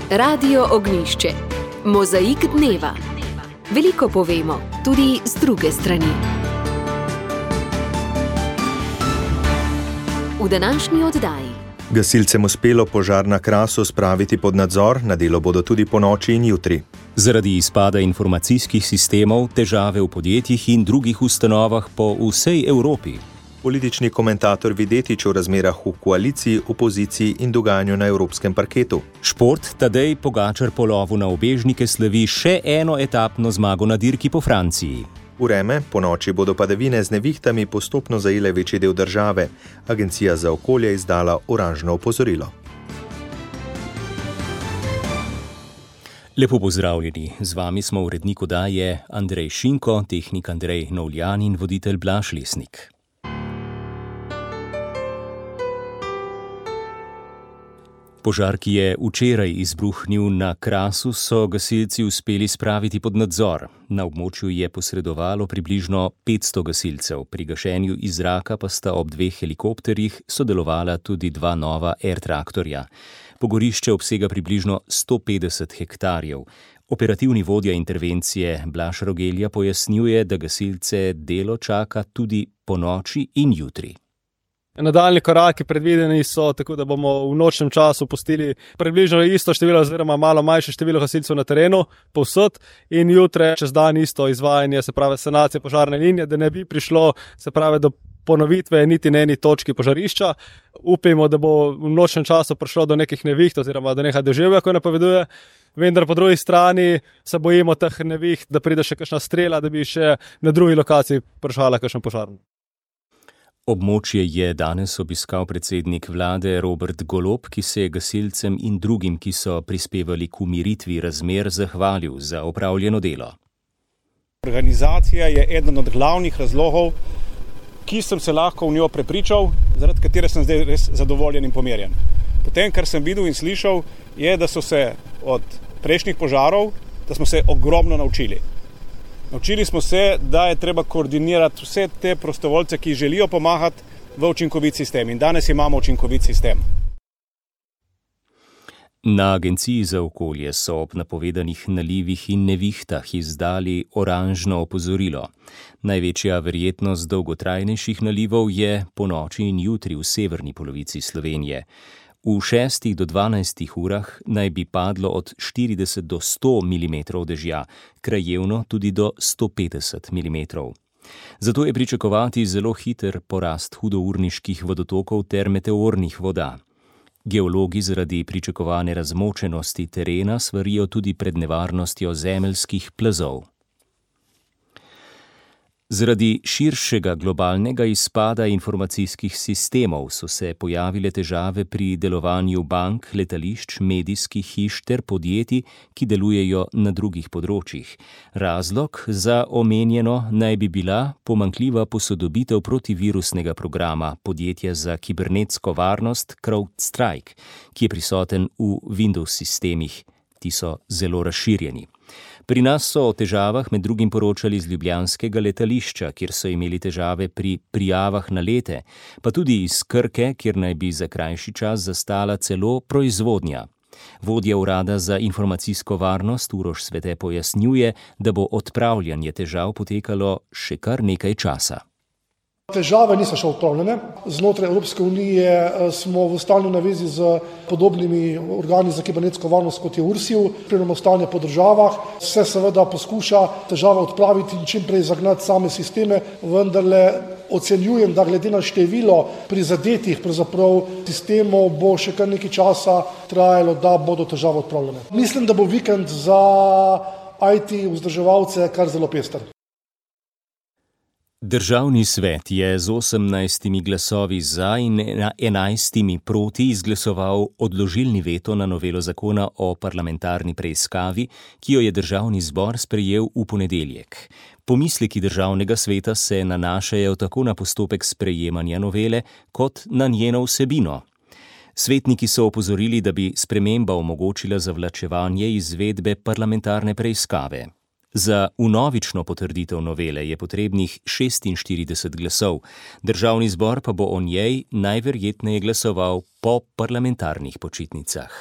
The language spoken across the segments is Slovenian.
Radio Ognjišče. Mozaik dneva. Veliko povemo, tudi z druge strani. V današnji oddaji. Gasilcem uspelo požar na Krasu spraviti pod nadzor, na delo bodo tudi ponoči in jutri. Zaradi izpada informacijskih sistemov, težave v podjetjih in drugih ustanovah po vsej Evropi. Politični komentator Videtič o razmerah v koaliciji, opoziciji in dogajanju na evropskem parketu. Šport Tadej Pogačar po lovu na ubežnike slavi še eno etapno zmago na dirki po Franciji. Vreme, ponoči bodo padavine z nevihtami postopno zajele večji del države. Agencija za okolje izdala oranžno opozorilo. Lepo pozdravljeni, z vami smo urednik oddaje Andrej Šinko, tehnik Andrej Novljan in voditelj Blaž Lesnik. Požar, ki je včeraj izbruhnil na Krasu, so gasilci uspeli spraviti pod nadzor. Na območju je posredovalo približno 500 gasilcev, pri gašenju iz zraka pa sta ob 2 helikopterjih sodelovala tudi 2 nova air-traktorja. Pogorišče obsega približno 150 hektarjev. Operativni vodja intervencije Blaž Rogelja pojasnjuje, da gasilce delo čaka tudi ponoči in jutri. Nadaljni koraki predvideni so, tako da bomo v nočnem času pustili približno isto število oziroma malo manjše število gasilcev na terenu povsod in jutre čez dan isto izvajanje, se pravi sanacije požarne linije, da ne bi prišlo, se pravi, do ponovitve niti na eni točki požarišča. Upimo, da bo v nočnem času prišlo do nekih neviht oziroma do nekaj deževja, ko napoveduje. Vendar po drugi strani se bojimo teh neviht, da pride še kakšna strela, da bi še na drugi lokaciji prišla kakšen požar. Območje je danes obiskal predsednik vlade Robert Golob, ki se je gasilcem in drugim, ki so prispevali k umiritvi razmer, zahvalil za opravljeno delo. Organizacija je eden od glavnih razlogov, ki sem se lahko v njo prepričal, zaradi katere sem zdaj res zadovoljen in pomirjen. Potem, kar sem videl in slišal, je, da so se od prejšnjih požarov, da smo se ogromno naučili. Naučili smo se, da je treba koordinirati vse te prostovoljce, ki želijo pomagati v učinkovit sistem. In danes imamo učinkovit sistem. Na Agenciji za okolje so ob napovedanih nalivih in nevihtah izdali oranžno opozorilo. Največja verjetnost dolgotrajnejših nalivov je ponoči in jutri v severni polovici Slovenije. V 6 do 12 urah naj bi padlo od 40 do 100 mm dežja, krajevno tudi do 150 mm. Zato je pričakovati zelo hiter porast hudourniških vodotokov ter meteornih voda. Geologi zaradi pričakovane razmočenosti terena svarijo tudi pred nevarnostjo zemeljskih plazov. Zaradi širšega globalnega izpada informacijskih sistemov so se pojavile težave pri delovanju bank, letališč, medijskih hiš ter podjetij, ki delujejo na drugih področjih. Razlog za omenjeno naj bi bila pomanjkljiva posodobitev protivirusnega programa podjetja za kibernetsko varnost CrowdStrike, ki je prisoten v Windows sistemih. Ti so zelo razširjeni. Pri nas so o težavah med drugim poročali z ljubljanskega letališča, kjer so imeli težave pri prijavah na lete, pa tudi iz Krke, kjer naj bi za krajši čas zastala celo proizvodnja. Vodja urada za informacijsko varnost Uroš Svete pojasnjuje, da bo odpravljanje težav potekalo še kar nekaj časa. Težave niso še odpravljene. Znotraj Evropske unije smo v stalni navezi z podobnimi organi za kibernetsko varnost, kot je URSIV, spremljamo stanje po državah. Se seveda poskuša težave odpraviti in čim prej zagnati same sisteme, vendarle ocenjujem, da glede na število prizadetih sistemov bo še kar nekaj časa trajalo, da bodo težave odpravljene. Mislim, da bo vikend za IT vzdrževalce kar zelo pester. Državni svet je z 18 glasovi za in 11 proti izglasoval odložilni veto na novelo zakona o parlamentarni preiskavi, ki jo je državni zbor sprejel v ponedeljek. Pomisleki državnega sveta se nanašajo tako na postopek sprejemanja novele, kot na njeno vsebino. Svetniki so opozorili, da bi sprememba omogočila zavlačevanje izvedbe parlamentarne preiskave. Za vnovično potrditev novele je potrebnih 46 glasov, državni zbor pa bo o njej najverjetneje glasoval po parlamentarnih počitnicah.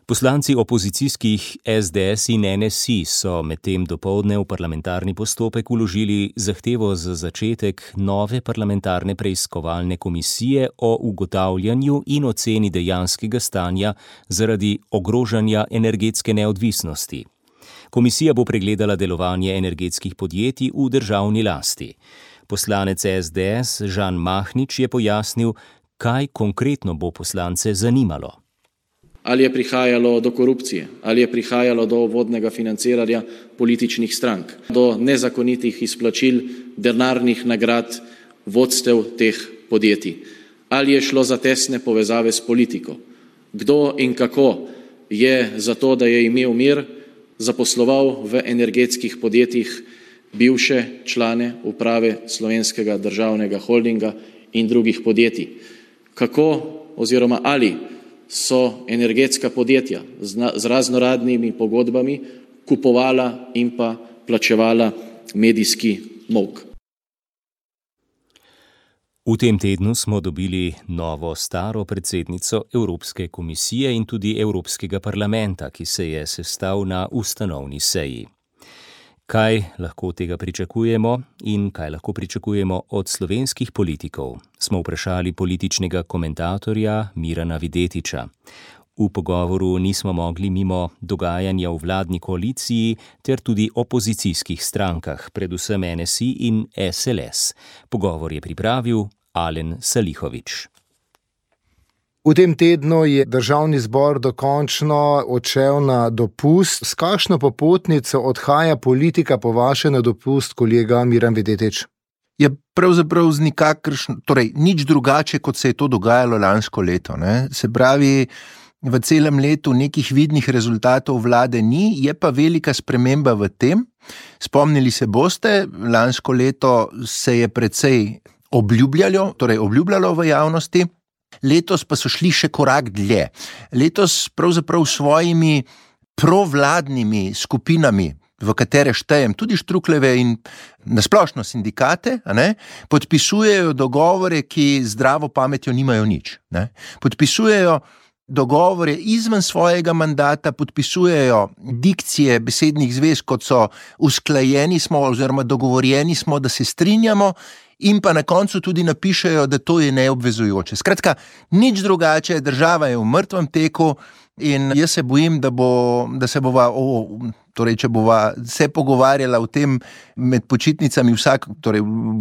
Poslanci opozicijskih SDS in NSI so medtem dopoldne v parlamentarni postopek vložili zahtevo za začetek nove parlamentarne preiskovalne komisije o ugotavljanju in oceni dejanskega stanja zaradi ogrožanja energetske neodvisnosti. Komisija bo pregledala delovanje energetskih podjetij v državni lasti. Poslanec SDS Žan Mahnič je pojasnil, kaj konkretno bo poslance zanimalo. Ali je prihajalo do korupcije, ali je prihajalo do vodnega financiranja političnih strank, do nezakonitih izplačil denarnih nagrad vodstev teh podjetij, ali je šlo za tesne povezave s politiko, kdo in kako je za to, da je imel mir, zaposloval v energetskih podjetjih bivše člane uprave Slovenskega državnega holdinga in drugih podjetij, kako oziroma ali so energetska podjetja z raznoradnimi pogodbami kupovala in pa plačevala medijski molk. V tem tednu smo dobili novo staro predsednico Evropske komisije in tudi Evropskega parlamenta, ki se je sestal na ustanovni seji. Kaj lahko od tega pričakujemo in kaj lahko pričakujemo od slovenskih politikov, smo vprašali političnega komentatorja Mirana Videtiča. V pogovoru nismo mogli mimo dogajanja v vladni koaliciji ter tudi opozicijskih strankah, predvsem NSI in SLS. Pogovor je pripravil Alen Salihovič. V tem tednu je državni zbor dokončno odšel na dopust. S kakšno popotnico odhaja politika po vaše na dopust, kolega Miran Videtič? Je pravzaprav nič drugače, kot se je to dogajalo lansko leto. Ne? Se pravi, v celem letu nekih vidnih rezultatov vlade ni, je pa velika sprememba v tem. Spomnili se boste, lansko leto se je precej obljubljalo v javnosti. Letos pa so šli še korak dlje. Letos pravzaprav svojimi provladnimi skupinami, v katere štejem tudi Štrukleve in nasplošno sindikate, podpisujejo dogovore, ki zdravo pametjo nimajo nič. Podpisujejo dogovore izven svojega mandata, podpisujejo dikcije besednih zvez, kot so usklajeni smo oziroma dogovorjeni smo, da se strinjamo, in pa na koncu tudi napišejo, da to je neobvezujoče. Skratka, nič drugače, država je v mrtvem teku in jaz se bojim, da se bova, če bova se pogovarjala o tem med počitnicami,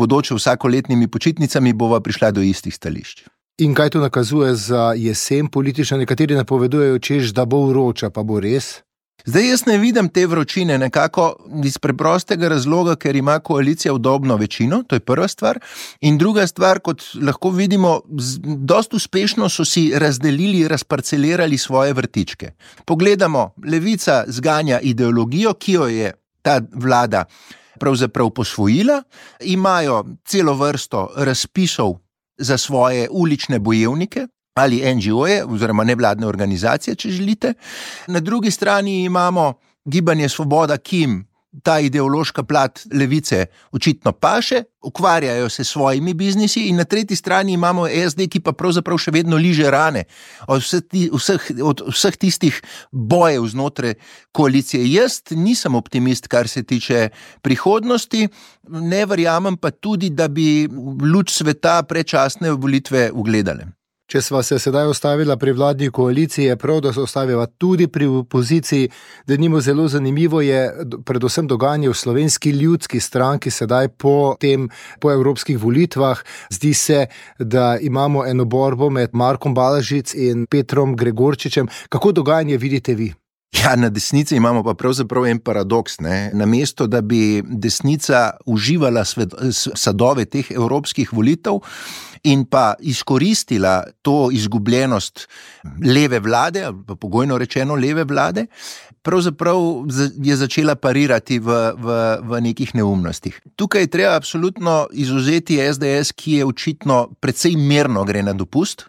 bodoče vsakoletnimi počitnicami, bova prišla do istih stališč. In kaj to nakazuje za jesen politično? Nekateri napovedujejo, češ, da bo vroča, pa bo res? Zdaj jaz ne vidim te vročine nekako iz preprostega razloga, ker ima koalicija udobno večino, to je prva stvar. In druga stvar, kot lahko vidimo, dosti uspešno so si razdelili, razparcelirali svoje vrtičke. Pogledamo, Levica zganja ideologijo, ki jo je ta vlada pravzaprav posvojila, imajo celo vrsto razpisov za svoje ulične bojevnike, ali NGO-je, oziroma nevladne organizacije, če želite. Na drugi strani imamo Gibanje Svoboda, ki jim ta ideološka plat levice očitno paše, ukvarjajo se s svojimi biznisi, in na tretji strani imamo SD, ki pa pravzaprav še vedno liže rane od vseh tistih bojev znotraj koalicije. Jaz nisem optimist, kar se tiče prihodnosti, ne verjamem pa tudi, da bi luč sveta predčasne volitve ugledale. Če sva se sedaj ostavila pri vladni koaliciji, je prav, da se ostaviva tudi pri opoziciji. Denimo zelo zanimivo je predvsem dogajanje v Slovenski ljudski stranki sedaj po evropskih volitvah. Zdi se, da imamo eno borbo med Markom Balažic in Petrom Gregorčičem. Kako dogajanje vidite vi? Ja, na desnici imamo pa pravzaprav en paradoks. Namesto, da bi desnica uživala sadove teh evropskih volitev in pa izkoristila to izgubljenost leve vlade, ali pa pogojno rečeno leve vlade, pravzaprav je začela parirati v nekih neumnostih. Tukaj treba absolutno izvzeti SDS, ki je očitno precej mirno gre na dopust.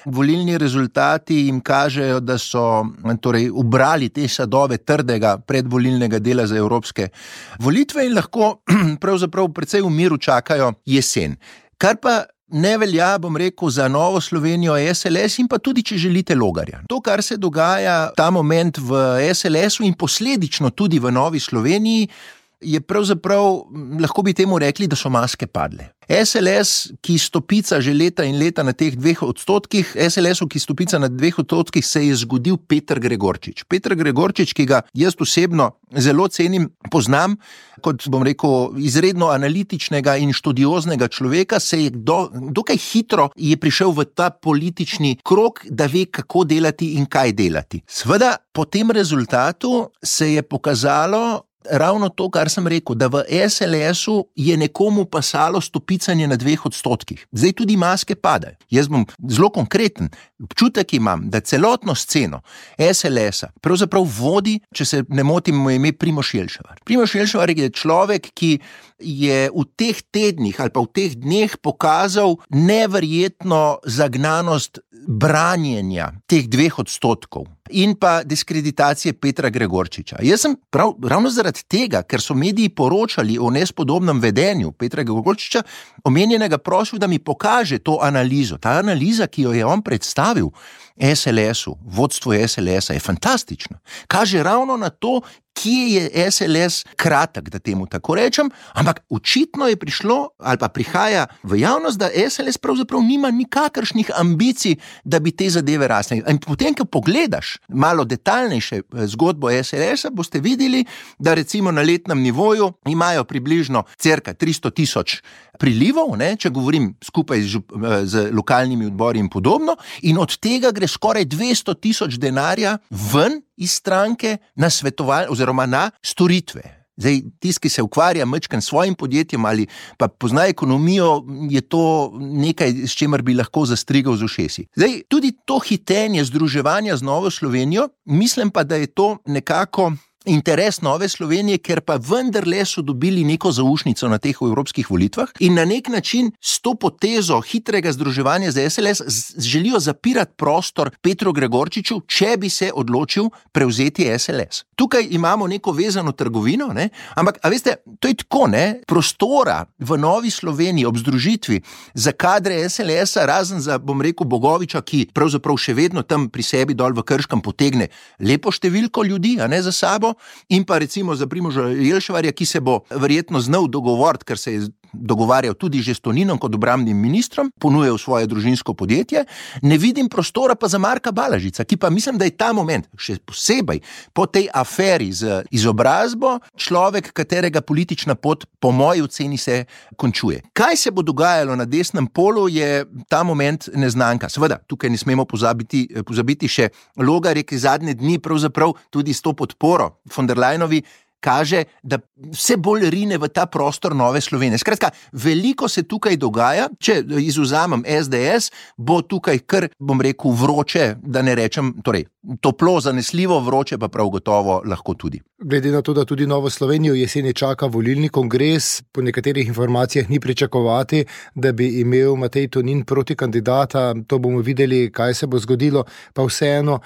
Volilni rezultati jim kažejo, da so ubrali te sadove trdega predvolilnega dela za evropske volitve in lahko pravzaprav precej v miru čakajo jesen. Kar pa ne velja, bom rekel, za Novo Slovenijo, SLS in pa tudi, če želite, Logarja. To, kar se dogaja ta moment v SLS-u in posledično tudi v Novi Sloveniji, je pravzaprav, lahko bi temu rekli, da so maske padle. SLS, ki stopica že leta in leta na teh 2%, SLS-u, ki stopica na 2%, se je zgodil Peter Gregorčič. Peter Gregorčič, ki ga jaz osebno zelo cenim, poznam, kot bom rekel, izredno analitičnega in študioznega človeka, se je dokaj hitro je prišel v ta politični krog, da ve, kako delati in kaj delati. Seveda, po tem rezultatu se je pokazalo ravno to, kar sem rekel, da v SLS-u je nekomu pasalo stopicanje na 2%. Zdaj tudi maske padajo. Jaz bom zelo konkreten. Občutek imam, da celotno sceno SLS-a pravzaprav vodi, če se ne motim, mu ime Primož Jelševar. Primož Jelševar je človek, ki je v teh tednih ali pa v teh dneh pokazal neverjetno zagnanost branjenja teh 2% in pa diskreditacije Petra Gregorčiča. Jaz sem ravno zaradi tega, ker so mediji poročali o nespodobnem vedenju Petra Gregorčiča, omenjenega prosil, da mi pokaže to analizo. Ta analiza, ki jo je on predstavil SLS-u, vodstvu SLS-a, je fantastična. Kaže ravno na to, kje je SLS kratek, da temu tako rečem, ampak očitno je prišlo ali pa prihaja v javnost, da SLS pravzaprav nima nikakršnih ambicij, da bi te zadeve rasle. In potem, ko pogledaš malo detaljnejše zgodbo SLS-a, boste videli, da recimo na letnem nivoju imajo približno cirka 300,000 prilivov, če govorim skupaj z lokalnimi odbori in podobno, in od tega gre skoraj 200,000 denarja ven iz stranke na svetovalne oziroma na storitve. Zdaj, tisti, ki se ukvarja majčkeno s svojim podjetjem ali pa pozna ekonomijo, je to nekaj, s čemer bi lahko zastrigal z ušesi. Zdaj, tudi to hitenje združevanja z Novo Slovenijo, mislim pa, da je to nekako interes Nove Slovenije, ker pa vendarle so dobili neko zaušnico na teh evropskih volitvah in na nek način s to potezo hitrega združevanja z SLS želijo zapirati prostor Petru Gregorčiču, če bi se odločil prevzeti SLS. Tukaj imamo neko vezano trgovino, ampak, a veste, to je tako, prostora v Novi Sloveniji ob združitvi za kadre SLS-a, razen za, bom rekel, Bogoviča, ki pravzaprav še vedno tam pri sebi dol v Krškem potegne lepo številko ljudi, za sabo, in pa recimo za Primoža Jelševarja, ki se bo verjetno znal dogovoriti, ker se je dogovarjal tudi že s Toninom kot obrambnim ministrom, ponujal svoje družinsko podjetje, ne vidim prostora pa za Marka Balažica, ki pa mislim, da je ta moment, še posebej po tej aferi z izobrazbo, človek, katerega politična pot po moji oceni se končuje. Kaj se bo dogajalo na desnem polu, je ta moment neznanka. Seveda, tukaj ne smemo pozabiti še Logarje, ki zadnje dni pravzaprav tudi s to podporo von der Leyenovi kaže, da vse bolj rine v ta prostor Nove Slovenije. Skratka, veliko se tukaj dogaja, če izvzamem SDS, bo tukaj kar, bom rekel, vroče, da ne rečem, torej, toplo, zanesljivo vroče, pa prav gotovo lahko tudi. Glede na to, da tudi Novo Slovenijo jeseni čaka volilni kongres, po nekaterih informacijah ni pričakovati, da bi imel Matej Tonin proti kandidata, to bomo videli, kaj se bo zgodilo, pa vseeno,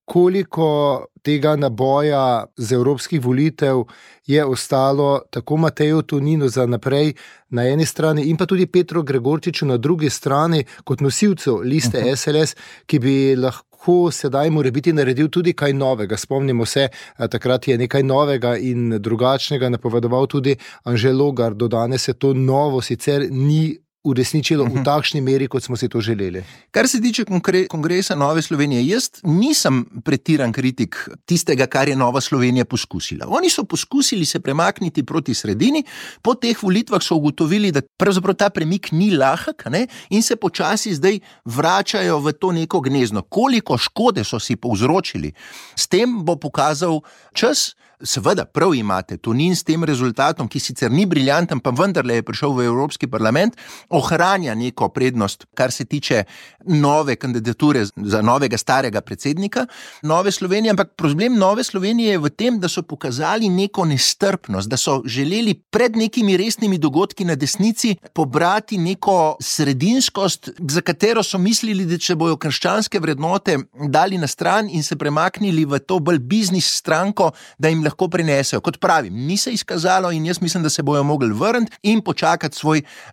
koliko tega naboja z evropskih volitev je ostalo tako Mateju Toninu za naprej na eni strani in pa tudi Petru Gregorčiču na drugi strani kot nosilcu liste SLS, ki bi lahko sedaj morebiti naredil tudi kaj novega. Spomnimo se, takrat je nekaj novega in drugačnega napovedoval tudi Anže Logar. Do danes se to novo sicer ni uresničilo v takšni meri, kot smo si to želeli. Kar se tiče kongresa Nove Slovenije, jaz nisem pretiran kritik tistega, kar je Nova Slovenija poskusila. Oni so poskusili se premakniti proti sredini, po teh volitvah so ugotovili, da pravzaprav ta premik ni lahek, in se počasi zdaj vračajo v to neko gnezdo. Koliko škode so si povzročili, s tem bo pokazal čas. Seveda, prav imate, Tonin s tem rezultatom, ki sicer ni briljanten, pa vendarle je prišel v Evropski parlament, ohranja neko prednost, kar se tiče nove kandidature za novega starega predsednika Nove Slovenije, ampak problem Nove Slovenije je v tem, da so pokazali neko nestrpnost, da so želeli pred nekimi resnimi dogodki na desnici pobrati neko sredinskost, za katero so mislili, da če bojo krščanske vrednote dali na stran in se premaknili v to bolj biznis stranko, da jim lahko prinesejo. Kot pravim, ni se izkazalo in jaz mislim, da se bojo mogli vrniti in počakati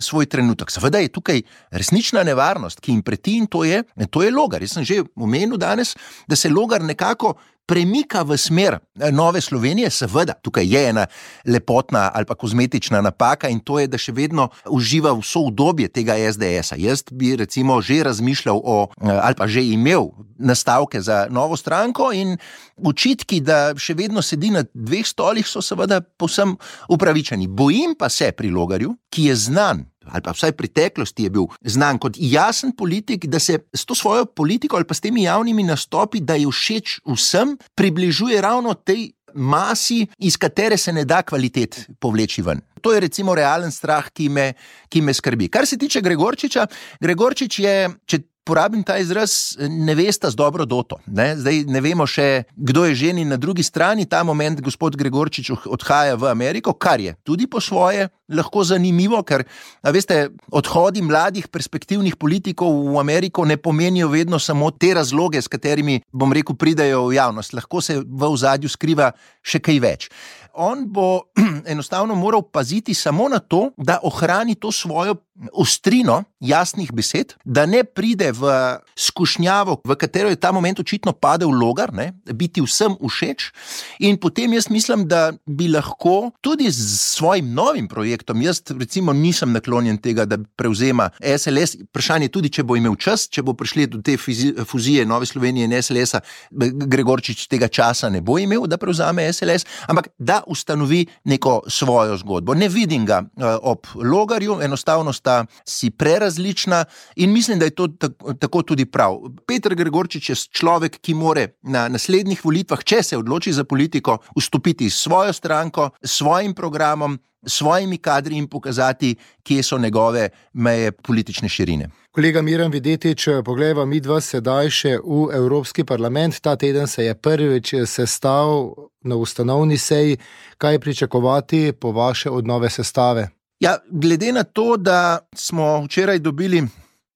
svoj trenutek. Seveda je tukaj resnična nevarnost, ki jim preti, in to je Logar. Jaz sem že omenil danes, da se Logar nekako premika v smer Nove Slovenije. Seveda, tukaj je ena lepotna ali pa kozmetična napaka, in to je, da še vedno uživa vso udobje tega SDS-a. Jaz bi recimo že razmišljal ali pa že imel nastavke za novo stranko, in očitki, da še vedno sedi na dveh stolih, so seveda povsem upravičeni. Bojim pa se pri Logarju, ki je znan, ali pa vsaj v preteklosti je bil znan kot jasen politik, da se s to svojo politiko ali pa s temi javnimi nastopi, da je všeč vsem, približuje ravno tej masi, iz katere se ne da kvalitet povleči ven. To je recimo realen strah, ki me skrbi. Kar se tiče Gregorčiča, Gregorčič je, če porabim ta izraz, nevesta z dobro doto. Zdaj ne vemo še, kdo je ženi na drugi strani. Ta moment gospod Gregorčič odhaja v Ameriko, kar je tudi po svoje lahko zanimivo, ker, veste, odhodi mladih perspektivnih politikov v Ameriko ne pomenijo vedno samo te razloge, s katerimi, bom rekel, pridejo v javnost. Lahko se v ozadju skriva še kaj več. On bo enostavno moral paziti samo na to, da ohrani to svojo ostrino jasnih besed, da ne pride v skušnjavo, v katero je ta moment očitno padel Logar, biti vsem všeč, in potem jaz mislim, da bi lahko tudi s svojim novim projektom, jaz recimo nisem naklonjen tega, da prevzema SLS, vprašanje tudi, če bo imel čas, če bo prišli do te fuzije Nove Slovenije in SLS-a, Gregorčič tega časa ne bo imel, da prevzame SLS, ampak da ustanovi neko svojo zgodbo. Ne vidim ga ob Logarju, enostavno sta si prerazlična, in mislim, da je to tako tudi prav. Peter Gregorčič je človek, ki more na naslednjih volitvah, če se odloči za politiko, vstopiti s svojo stranko, s svojim programom, s svojimi kadri in pokazati, kje so njegove meje politične širine. Kolega Miran Videtič, poglejva midva sedaj še v Evropski parlament. Ta teden se je prvič sestal na ustanovni seji. Kaj pričakovati po vaše od nove sestave? Ja, glede na to, da smo včeraj dobili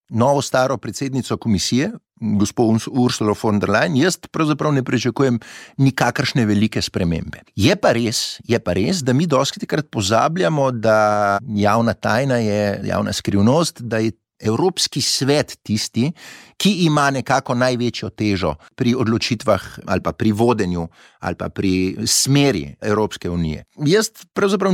novo staro predsednico komisije, gospod Ursula von der Leyen, jaz pravzaprav ne pričakujem nikakršne velike spremembe. Je pa res, da mi dostikrat pozabljamo, da javna tajna je javna skrivnost, da je Evropski svet tisti, ki ima nekako največjo težo pri odločitvah ali pa pri vodenju ali pa pri smeri Evropske unije. Jaz pravzaprav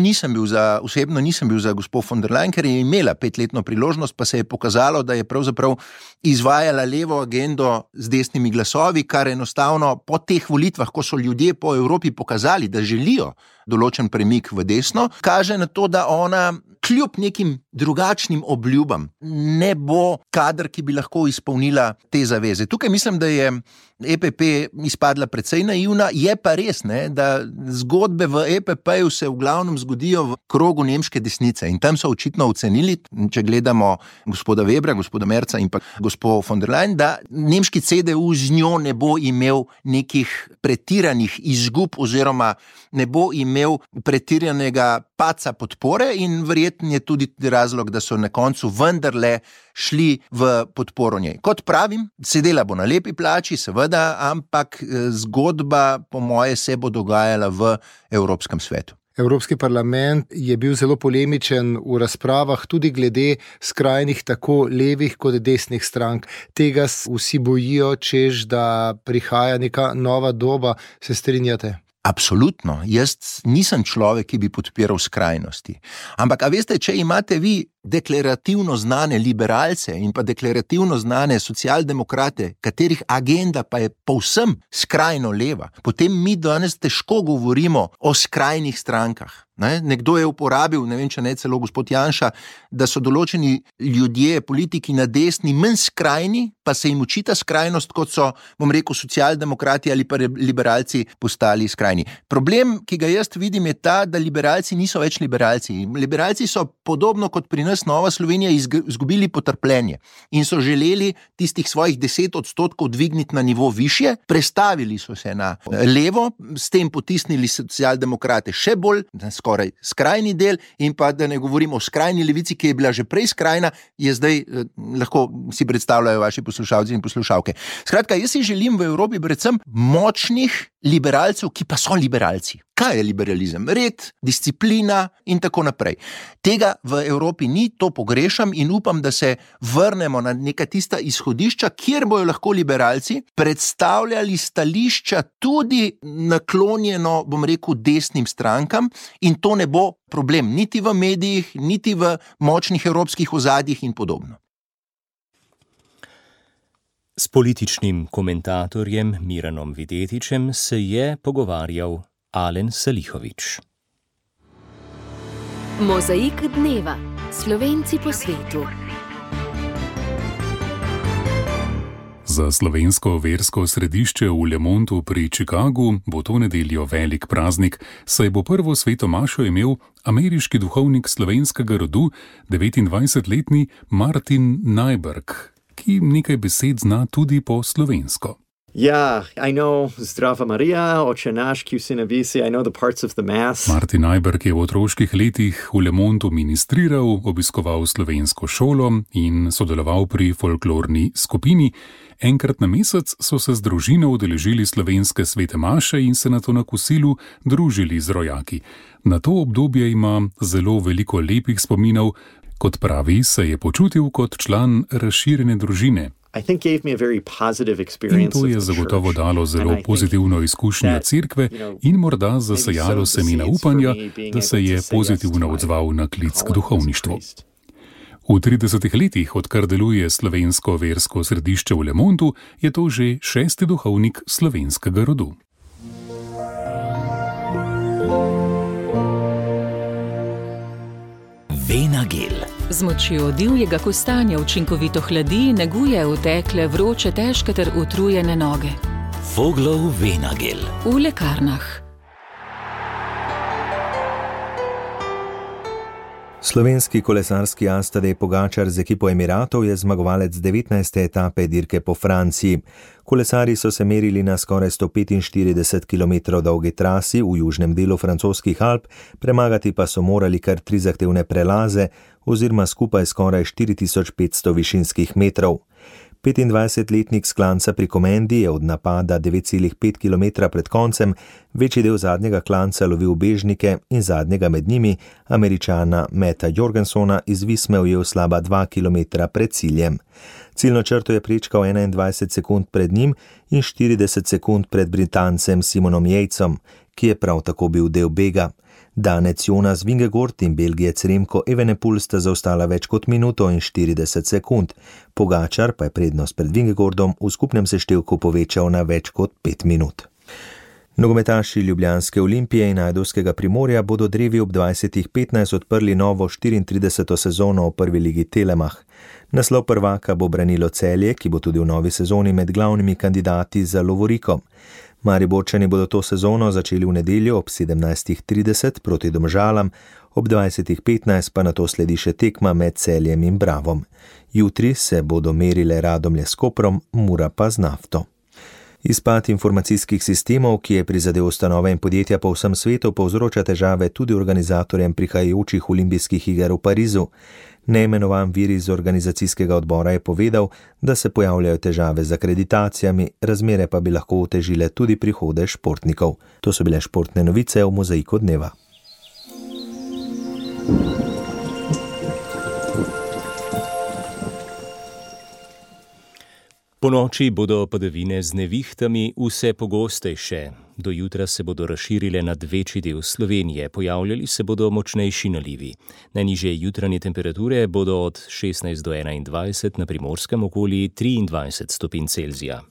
osebno nisem bil za gospod von der Leyen, ker je imela 5-letno priložnost, pa se je pokazalo, da je pravzaprav izvajala levo agendo z desnimi glasovi, kar enostavno po teh volitvah, ko so ljudje po Evropi pokazali, da želijo določen premik v desno, kaže na to, da ona kljub nekim drugačnim obljubam ne bo kader, ki bi lahko izpolnila te zaveze. Tukaj mislim, da je EPP izpadla precej naivna. Je pa res, da zgodbe v EPP-ju se v glavnem zgodijo v krogu nemške desnice, in tam so očitno ocenili, če gledamo gospoda Webra, gospoda Merca in pa gospod von der Leyen, da nemški CDU z njo ne bo imel nekih pretiranih izgub oziroma ne bo imel pretiranega padca podpore, in verjetno je tudi razlog, da so na koncu vendarle šli v podporo njej. Kot pravim, sedela bo na lepi plači, seveda, ampak zgodba po moje se bo dogajala v Evropskem svetu. Evropski parlament je bil zelo polemičen v razpravah tudi glede skrajnih tako levih kot desnih strank. Tega vsi bojijo, češ da prihaja neka nova doba. Se strinjate? Absolutno. Jaz nisem človek, ki bi podpiral skrajnosti. Ampak, a veste, če imate vi deklarativno znane liberalce in pa deklarativno znane socialdemokrate, katerih agenda pa je povsem skrajno leva, potem mi danes težko govorimo o skrajnih strankah. Nekdo je uporabil, ne vem, če ne celo gospod Janša, da so določeni ljudje, politiki na desni manj skrajni, pa se jim očita skrajnost, kot so, bom rekel, socialdemokrati ali pa liberalci postali skrajni. Problem, ki ga jaz vidim, je ta, da liberalci niso več liberalci. Liberalci so podobno kot pri nas Nova Slovenija izgubili potrpljenje in so želeli tistih svojih 10% dvigniti na nivo višje, prestavili so se na levo, s tem potisnili socialdemokrate še bolj, skoraj skrajni del, in pa da ne govorimo o skrajni levici, ki je bila že prej skrajna, je zdaj, lahko si predstavljajo vaši poslušalci in poslušalke. Skratka, jaz si želim v Evropi predvsem močnih liberalcev, ki pa so liberalci. Kaj je liberalizem? Red, disciplina in tako naprej. Tega v Evropi ni, to pogrešam in upam, da se vrnemo na neka tista izhodišča, kjer bojo lahko liberalci predstavljali stališča tudi naklonjeno, bom rekel, desnim strankam in to ne bo problem niti v medijih, niti v močnih evropskih ozadjih in podobno. S političnim komentatorjem Miranom Videtičem se je pogovarjal Alen Salihović. Mozaik dneva. Slovenci po svetu. Za slovensko versko središče v Le Montu pri Chicagu bo to nedeljo velik praznik, saj bo prvo sveto mašo imel ameriški duhovnik slovenskega rodu, 29-letni Martin Najberg, ki nekaj besed zna tudi po slovensko. I know Zdrava Marija, Oče naš, ki vsi na visi, I know the parts of the mass. Martin Najberg je v otroških letih v Le Montu ministriral, obiskoval slovensko šolo in sodeloval pri folklorni skupini. Enkrat na mesec so se z družino udeležili slovenske svete maše in se nato na kosilu družili z rojaki. Na to obdobje ima zelo veliko lepih spominov. Kot pravi, se je počutil kot član razširjene družine. In to je zagotovo dalo zelo pozitivno izkušnjo cerkve in morda zasejalo semena upanja, da se je pozitivno odzval na klic k duhovništvu. V 30 letih, odkar deluje slovensko versko središče v Le Montu, je to že 6. duhovnik slovenskega rodu. Venagel. Z močjo divjega kostanja učinkovito hladi, neguje utekle, vroče, težke ter utrujene noge. Voglov Venagel. V lekarnah. Slovenski kolesarski as Tadej Pogačar z ekipo Emiratov je zmagovalec 19. etape dirke po Franciji. Kolesarji so se merili na skoraj 145 km dolgi trasi v južnem delu francoskih Alp, premagati pa so morali kar 3 zahtevne prelaze oziroma skupaj skoraj 4500 višinskih metrov. 25-letnik s klanca pri Komendi je od napada 9,5 km pred koncem večji del zadnjega klanca lovil bežnike in zadnjega med njimi, Američana Metta Jorgensona, iz Visme ujel slaba 2 km pred ciljem. Ciljno črto je prečkal 21 sekund pred njim in 40 sekund pred Britancem Simonom Yatsom, ki je prav tako bil del bega. Danec Jonas Vingegaard in Belgijec Remko Evenepoel sta zaostala več kot minuto in 40 sekund. Pogačar pa je prednost pred Vingegaardom v skupnem seštevku povečal na več kot 5 minut. Nogometaši Ljubljanske Olimpije in Ajdovskega Primorja bodo drevi ob 20:15 odprli novo 34. sezono v prvi ligi Telemach. Naslov prvaka bo branilo Celje, ki bo tudi v novi sezoni med glavnimi kandidati za lovoriko. Mariborčani bodo to sezono začeli v nedeljo ob 17:30 proti Domžalam, ob 20:15 pa nato sledi še tekma med Celjem in Bravom. Jutri se bodo merile Radomlje s Koprom, Mura pa z Nafto. Izpad informacijskih sistemov, ki je prizadel ustanove in podjetja po vsem svetu, povzroča težave tudi organizatorjem prihajajočih olimpijskih iger v Parizu. Neimenovan vir iz organizacijskega odbora je povedal, da se pojavljajo težave z akreditacijami, razmere pa bi lahko otežile tudi prihode športnikov. To so bile športne novice v Mozaiku dneva. Ponoči bodo padavine z nevihtami vse pogostejše. Do jutra se bodo razširile nad večji del Slovenije, pojavljali se bodo močnejši nalivi. Najnižje jutranje temperature bodo od 16 do 21, na primorskem okoli 23 stopinj Celzija.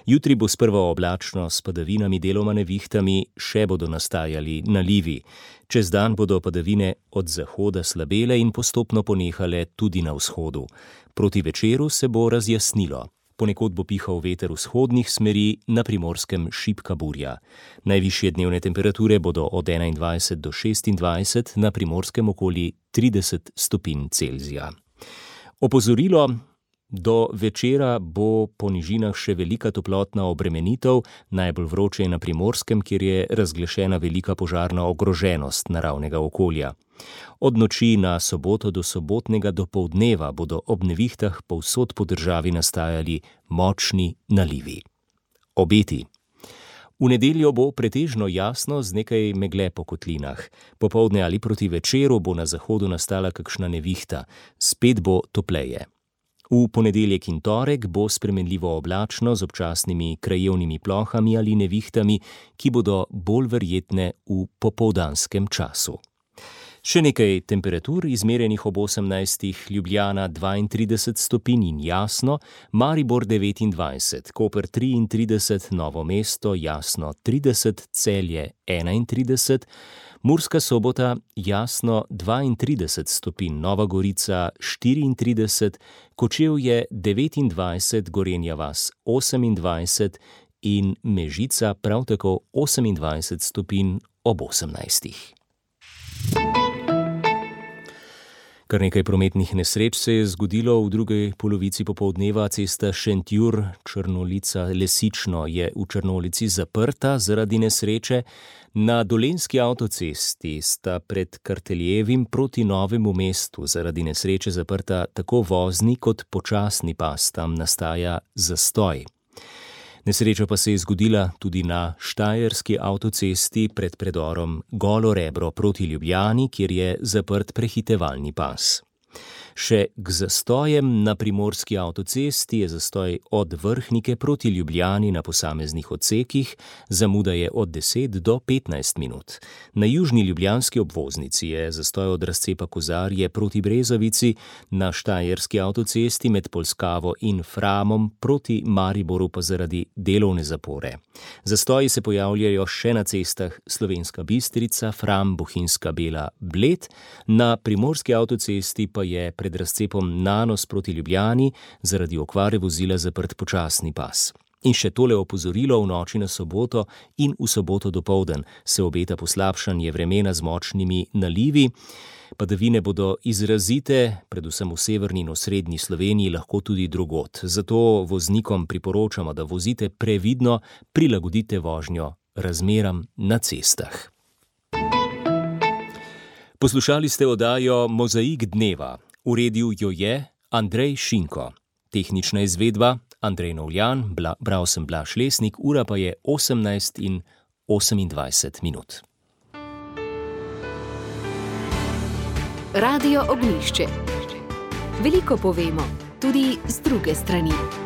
Jutri bo sprva oblačno s padavinami, deloma nevihtami, še bodo nastajali nalivi. Čez dan bodo padavine od zahoda slabele in postopno ponehale tudi na vzhodu. Proti večeru se bo razjasnilo. Ponekod bo pihal veter vzhodnih smeri, na primorskem šibka burja. Najvišje dnevne temperature bodo od 21 do 26, na primorskem okoli 30 stopinj Celzija. Opozorilo: do večera bo po nižinah še velika toplotna obremenitev, najbolj vroče je na primorskem, kjer je razglašena velika požarna ogroženost naravnega okolja. Od noči na soboto do sobotnega dopoldneva bodo ob nevihtah povsod po državi nastajali močni nalivi. Obeti. V nedeljo bo pretežno jasno z nekaj megle po kotlinah. Popoldne ali proti večeru bo na zahodu nastala kakšna nevihta. Spet bo topleje. V ponedeljek in torek bo spremenljivo oblačno z občasnimi krajevnimi plohami ali nevihtami, ki bodo bolj verjetne v popoldanskem času. Še nekaj temperatur izmerjenih ob 18. Ljubljana 32 stopinj in jasno, Maribor 29, Koper 33, Novo mesto jasno 30, Celje 31, Murska Sobota jasno 32 stopinj, Nova Gorica 34, Kočevje 29, Gorenja vas 28 in Mežica prav tako 28 stopinj ob 18. Kar nekaj prometnih nesreč se je zgodilo v drugi polovici popoldneva. Cesta Šentjur-Črnolica-Lesično je v Črnolici zaprta zaradi nesreče. Na Dolenjski avtocesti sta pred Karteljevim proti Novemu mestu zaradi nesreče zaprta tako vozni kot počasni pas, tam nastaja zastoj. Nesreča pa se je zgodila tudi na Štajerski avtocesti pred predorom Golo Rebro proti Ljubljani, kjer je zaprt prehitevalni pas. Še k zastojem na Primorski avtocesti je zastoj od Vrhnike proti Ljubljani na posameznih odsekih, zamuda je od 10 do 15 minut. Na južni ljubljanski obvoznici je zastoj od razcepa Kozarje proti Brezovici, na Štajerski avtocesti med Polskavo in Framom proti Mariboru pa zaradi delovne zapore. Zastoji se pojavljajo še na cestah Slovenska Bistrica, Fram, Bohinjska Bela, Bled, na Primorski avtocesti pa je pred razcepom Nanos proti Ljubljani zaradi okvare vozila zaprt počasni pas. In še tole opozorilo: v noči na soboto in v soboto dopoldan se obeta poslabšanje vremena z močnimi nalivi. Padavine bodo izrazite, predvsem v severni in osrednji Sloveniji, lahko tudi drugod. Zato voznikom priporočamo, da vozite previdno, prilagodite vožnjo razmeram na cestah. Poslušali ste oddajo Mozaik dneva. Uredil jo je Andrej Šinko. Tehnična izvedba Andrej Novljan, bral sem Blaž Lesnik, ura pa je 18:28. Radio Ognjišče. Veliko povemo, tudi z druge strani.